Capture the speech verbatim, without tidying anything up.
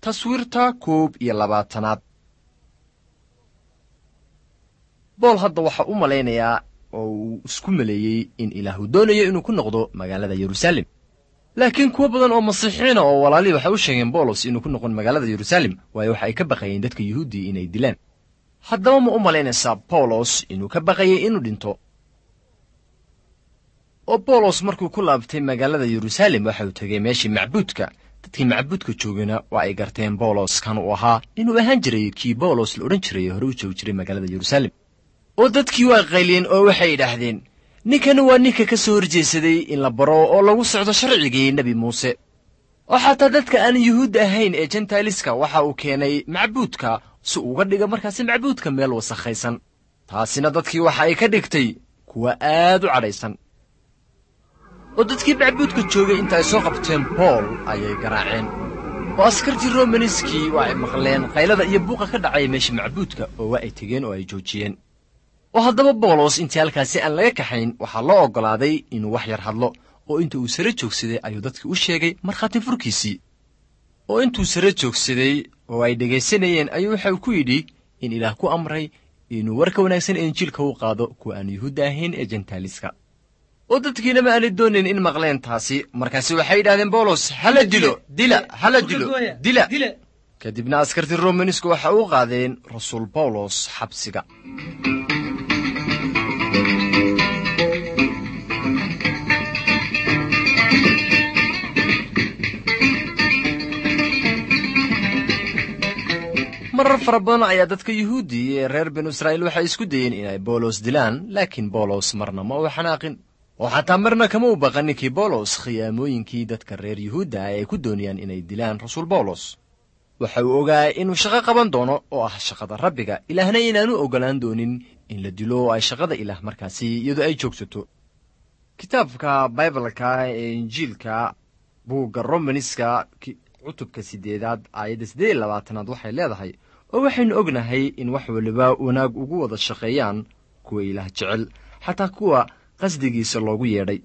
Taswiirta koob iyo labaatanaad. Bool hadda waxa u malaynayaa oo uu isku maleeyey in Ilaahu doonayo inuu ku noqdo magaalada Yeruusaalem. Laakiin kuwo badan oo Masiixiina oo walaalihii waxay u sheegeen Boolos inuu ku noqon magaalada Yeruusaalem, waayo waxa ay ka baqayeen dadka Yuhuuddii inay dilaan. Haddaba ma u malaynaysaa Bawlos inuu ka baqayay inuu dhinto? Oo Bawlos markuu ku laabtay magaalada Yeruusaalem waxa uu tegey meeshii macbuudka. Dadkii macbuudka joogana waa ay garteen Bawlos kan uu ahaa inuu ahaan jiray kii Bawlos la odhan jiray hore u joogi jiray magaalada Yeruusaalem. Oo dadkii waa qayliyeen oo waxay yidhaahdeen, ninkani waa ninka ka soo horjeesaday in la baro oo lagu socdo sharcigii Nebi Muuse. Oo xataa dadka aan Yuhuud ahayn ee Jentailiska waxa uu keenay macbuudka si uga dhiga markaasi macbuudka meel wasakhaysan. Taasina dadkii waxa ay ka dhigtay kuwa aad u cadhaysan. Oo dadkii macbuudka joogay inta ay soo qabteen Bool ayay garaaceen. Oo askartii Romaniskii waa ay maqleen qaylada iyo buuqa ka dhacaya meesha macbuudka, oo waa ay tegeen oo ay joojiyeen. Oo haddaba Bawlos intii halkaasi aan laga kaxayn waxaa loo oggolaaday inuu wax yar hadlo, oo inta uu sare joogsaday ayuu dadkii u sheegay markhaati furkiisii. Oo intuu sare joogsaday oo ay dhegaysanayeen ayuu waxa uu ku yidhi in Ilaah ku amray inuu warka wanaagsan ee Injiilka u qaado kuwa aan Yuhuudda ahayn ee Jentaaliska. Oo dadkiina ma aanay doonayn in maqleen taasi, markaasi waxay yidhahdeen Bawlos, hala dilo, dila, hala dilo, dila. Kadibna askartii Romanisku waxa u qaadeen rasuul Bawlos xabsiga. Marar fara badan ayaa dadka Yuhuuddi ee reer binu Israa'iil waxay isku dayeen inay Bawlos dilaan, laakiin Bawlos marna ma uu xanaaqin. Oo xataa marna kama u baqan ninkii Bawlos khiyaamooyinkii dadka reer Yuhuudda ah ay ku doonayaan inay dilaan rasuul Bawlos. Waxa uu ogaa inuu shaqo qaban doono oo ah shaqada Rabbiga, Ilaahna inaanu oggolaan doonin in la dilo oo ay shaqada Ilaah markaasi iyadoo ay joogsato. Kitaabka Baibalka ee Injiilka, buugga Romaniska, cutubka sideedaad aayadda siddeed iyo labaatanaad waxay leedahay, oo waxaynu ognahay in wax waliba wanaag ugu wada shaqeeyaan kuwa Ilaah jecel, xataa kuwa qasdigiisa loogu yeedhay.